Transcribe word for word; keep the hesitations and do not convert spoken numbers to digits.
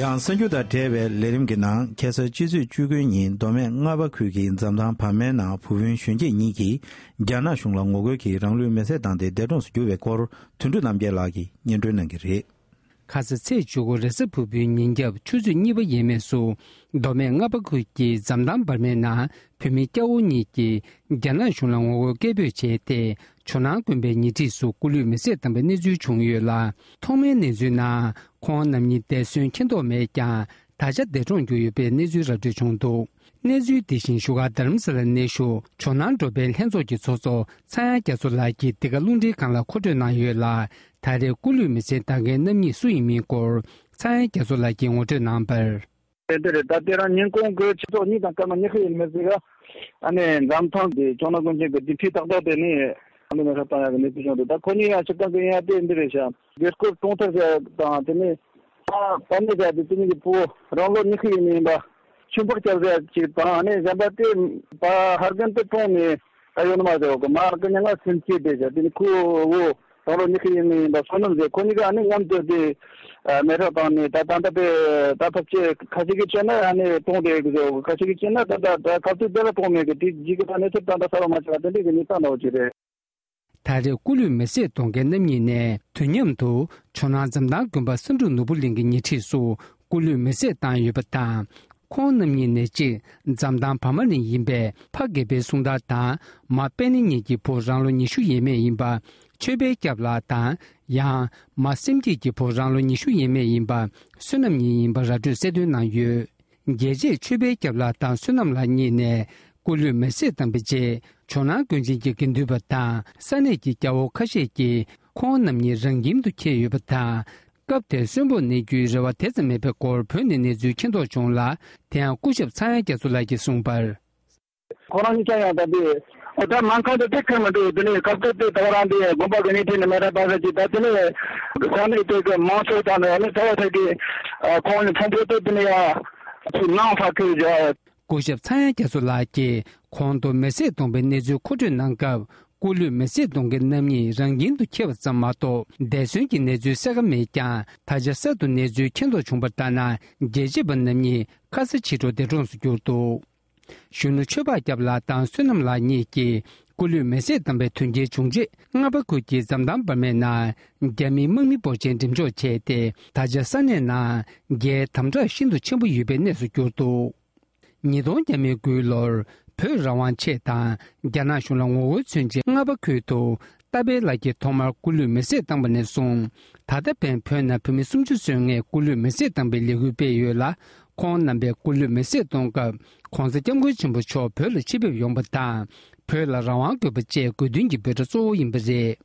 ཡང་གསར་འགྱུར་དང་འབྲེལ་བའི་ལས་རིམ་གྱི་ནང་ཁ་སང་སྤྱི་ཚེས་བཅུ་དགུ་ཉིན་མདོ་སྨད་རྔ་པ་ཁུལ་གྱི་འཛམ་ཐང་བར་མའི་ནང་བུ་སྤུན་གཞོན་སྐྱེས་གཉིས་ཀྱིས་རྒྱ་ནག་གཞུང་ལ་ངོ་རྒོལ་གྱིས་རང་ལུས་མེར་སྲེག་བཏང་སྟེ་འདས་གྲོངས་སུ་གྱུར་བའི་སྐོར་དོན་གྲུབ་རྣམ་རྒྱལ་ལགས་ཀྱིས་སྙན་སྒྲོན་གནང་གི་རེད། ཁ་ས་ཚེས་བཅུ་དགུ་རེས་གཟའ་ཕུར་བུའི་ཉིན་རྒྱབ་ཆུ་ཚོད་གཉིས་པ་ཡས་མས་སུ་མདོ་སྨད་རྔ་པ་ཁུལ་གྱི་འཛམ་ཐང་བར་མའི་ནང་བོད་མི་སྐྱ་བོ་གཉིས་ཀྱིས་རྒྱ་ནག་གཞུང་ལ་ངོ་རྒོལ་སྐད་འབོད་བྱས་ཏེ། ཇོ་ནང་དགོན་པའི་ཉེ་འཁྲིས་སུ་སྐུ་ལུས་མེར་སྲེག་བཏང་བའི་གནས་ཚུལ་བྱུང་ཡོད་ལ། ཐོག་མའི་གནས་ཚུལ་ནང་ཁོང་རྣམ་གཉིས་འདས་གསོན་མཁྱེན་རྟོགས་མེད་ཀྱང་། ད་ཆ་འདས་གྲོངས་གྱུར་ཡོད་པའི་གནས་ཚུལ་ར་སྤྲོད་བྱུང་འདུག་གནས་ཚུལ་འདི་བཞིན་བཞུགས་སྒར་རྡ་རམ་ས་ལར་གནས་བཞུགས་ཇོ་ནང་འབྲུག་པའི་ལྷན་ཚོགས་ཀྱི་ཚོགས་གཙོ་ཚངས་དབྱངས་རྒྱ་མཚོ་ལགས་ཀྱིས་འདི་ག་རླུང་འཕྲིན་ཁང་ལ་མཁོ་སྤྲོད་གནང་ཡོད་ལ། ད་རེས་སྐུ་ལུས་མེར་སྲེག་བཏང་མཁན་རྣམ་གཉིས་སུ་ཡིན་མིན་སྐོར་ཚངས་དབྱངས་རྒྱ་མཚོ་ལགས་ཀྱིས་ངོ་སྤྲོད་གནང་བར། དེ་འདི་རེད། ད་དེ་རིང་ཉིན་གུང་གི་ཆུ་ཚོད་གཉིས་དང་སྐར་མ་ཉི་ཤུ་ཡིན་མི་ཟིག་ག་ཨ་ནི་འཛམ་ཐང་དེ་ཇོ་ནང་དགོན་ཆེན་གྱི་སྡེ་ཁྲི་ཏག་ཏག་དེ་ནས་ཨ་ནི་མེ་ཤ་བཏང་ཡག་གི་གནས་ཚུལ་བྱུང་འདུག་ད་ཁོ་གཉིས་ཡང་སྤྱིར་བཏང་གི་ཡིན་ཡ་དེ་འདི་རེད་ཤག་སྒེར་སྐོར་གྲོང་རྡལ་ཟེར་དང་དེ་ནས་ཨ་བར་མའི་ཟེར་དེ་དེ་གཉིས་ཀྱི་བུ་རང་ལོ་ཉི་ཤུ་ཡིན་མི་ཡིན་པ་ཆུན་པག་སྐྱབས་ཟེར་ཅིག་དང་ཨ་ནི་གཞན་པ་དེ་བ་ཧར་གན་དུ་གྲོངས་ནས། ད་ཡོད་ནི་མ་རེད་གོ་མ་ཀི་ཉ་ང་སེམས་སྐྱིད་བསྡད་བྱ་དེ་ནི་ཁོ་བོ་དང་ལོ་ཉི་ཤུ་ཡིན་ནི་ཡིན་པ་བསོད་ནམས་རེད། ཁོ་གཉིས་ཀ་ཨ་ནི་མཉམ་དུ་དེ་མེ་ཧྲ་བཏང་ནས་ད་ད་ལྟ་དེ་ད་ཐབས་ཆེ་ཁ་ཤས་ཀྱིས་བྱས་ན་ཨ་ནི་གྲོངས་བསྡད་གི་ཟེར་གོ་ཁ་ཤས་ཀྱིས་བྱས་ན་ད་ད་ད་ག་ཚོད་དེ་ལ་གྲོངས་མེད་གི་དེ་ཇི་གི་ད་གནས་ཚུལ་ད་ད་གསར་བ་མ་ཆགས་དེ་འདྲས་གི་གཉིས་ད་འདྲ་བོ་ཅིག་རེད། ད་རེས་སྐུ་ལུས་མེ་སྲེག་གཏོང་མཁན་རྣམ་གཉིས་ནས་དུས་མཉམ་དུ་ཇོ་ནང་འཛམ་ཐང་དགོན་པ་བསམ་འགྲུབ་ནོར་བུ་གླིང་གི་ཉེ་འཁྲིས་སུ་སྐུ་ལུས་མེ་སྲེག་བཏང་ཡོད་པ་དང་། ཁོང་རྣམ་གཉིས་ནས་གཅིག་འཛམ་ཐང་བར་མ་ནས་ཡིན་པའི་ཕ་དགེ་འཕེལ་གསུང་ཐར་དང་མ་པད་ནི་གཉིས་ཀྱི་བུ་རང་ལོ་ཉི་ཤུ་ཡས་མས་ཡིན་པ་ཆོས་འཕེལ་སྐྱབས་ལགས་དང་ཡང་མ་སེམས་སྐྱིད་ཀྱི་བུ་རང་ལོ་ཉི་ཤུ་ཡས་མས་ཡིན་པ་བསོད་ནམས་གཉིས་ཡིན་པ་ར་སྤྲོད་གསལ་སྟོན་གནང་ཡོད། རྒྱལ་གཅེས་ཆོས་འཕེལ་སྐྱབས་ལགས་དང་བསོད་ནམས་ལགས་གཉིས་ནས་སྐུ་ལུས་མེ་སྲེག་བཏང་པའི་རྗེས་ཇོ་ནང་དགོན་ཆེན་གྱི་དགེ་འདུན་པ་དང་ས་གནས་ཀྱི་སྐྱ་བོ་ཁ་ཤས་ཀྱིས་ཁོང་རྣམ་གཉིས་རང་ཁྱིམ་དུ་འཁྱེར་ཡོད་པ་དང་། སྐབས་དེར་གསོན་པོར་གནས་རྒྱུའི་རེ་བ་དེ་ཙམ་མེད་པའི་སྐོར་བོད་ནས་གནས་ཚུལ་མཁྱེན་རྟོགས་བྱུང་ལ། དེ་ཡང་སྐུ་ཞབས་ཚངས་དབྱངས་རྒྱ་མཚོ་ལགས་ཀྱིས་གསུངས་པར། ཁོ་རང་གཉིས་ཀ་ཡང་ད་དེ་ཨོ་ད་སྨན་ཁང་དུ་དེ་ཁེལ་མི་འདུག་དེ་ནས་སྐབས་དེ་དེ་ད་ག་རང་དེ་དགོན་པ་གི་ནས་དེ་ནས་མེ་ར་བ་ས་ཅིག་ད་དེ་ནས་ས་གནས་དེ་གི་མང་ཚོགས་དང་ནས་ཨ་ནི་ད་བ་ས་ཀྱི་ཁོང་ནས་ཕུང་པོ་དེ་དེ་ནས་ཡང་ཚུར་ནང་ཕ་ཁེལ་བྱ། སྐུ་ཞབས་ཚངས་དབྱངས་རྒྱ་མཚོ་ལགས་ཀྱིས་གོང་དུ་མེ་སྲེག་གཏོང་པའི་གནས་ཚུལ་མཁོ་སྤྲོད་གནང་སྐབས། སྐུ་ལུས་མེ་སྲེག་གཏོང་མཁན་རྣམ་གཉིས་རང་ཁྱིམ་དུ་འཁྱེར་བ་ཙམ་མ་གཏོགས། འདས་གསོན་གྱི་གནས་ཚུལ་གསལ་ཁ་མེད་ཀྱང་། ད་ཆ་གསར་དུ་གནས་ཚུལ་མཁྱེན་རྟོགས་བྱུང་བར་ལྟར་ན། རྒྱལ་གཅེས་པ་རྣམ་གཉིས་ཁ་ས་ཕྱི་དྲོ་འདས་གྲོངས་སུ་གྱུར་འདུག་གཞོན་ནུ་ཆོས་འཕགས་སྐྱབས་ལགས་དང་བསོད་ནམས་ལགས་གཉིས་ཀྱིས་སྐུ་ལུས་མེ་སྲེག་བཏང་པའི་དོན་རྐྱེན་བྱུང་རྗེས། རྔ་པ་ཁུལ་གྱི་འཛམ་ཐང་བར་མའི་ནང་རྒྱ་མིའི་དམག་མི་འབོར་ཆེན་འགྲེམས་འཇོག་བྱས་ཏེ། ད་ཆ་ས་གནས་ནང་རྒྱའི་དམ་དྲག་ཤིན་ཏུ་ཆེན་པོ་ཡོད་པའི་གནས་སུ་གྱུར་འདུག་ཉིས་སྟོང་བརྒྱ་མེད་དགུའི་ལོར་བོད་རང་དབང་ཆེད་དང་རྒྱ་ནག་གཞུང་ལ་ངོ་རྒོལ་མཚོན་ཆེད་རྔ་པ་ཁུལ་དུ་རྟ་པའི་ལག་འཁྱེར་ཐོག་མར་སྐུ་ལུས་མེ་སྲེག་བཏང་པ་ནས་བཟུང་། ད་ལྟ་ཕན་བོད་ནང་བོད་མི་སུམ་ཅུ་སོན་ལྔས་སྐུ་ལུས་མེ་སྲེག་བཏང་པའི་ལས་འགུལ་སྤེལ་ཡོད་ལ། ཁོང་རྣམ་པས་སྐུ་ལུས་མེ་སྲེག་གཏོང་སྐབས་༸གོང་ས་༸སྐྱབས་མགོན་ཆེན་པོ་མཆོག་བོད་ལ་ཆེད་ཕེབས་ཡོང་པ་དང་། བོད་ལ་རང་དབང་དགོས་པ་བཅས་དགོས་འདུན་གྱི་འབོད་སྒྲ་གཙོ་བོ་ཡིན་པ་རེད།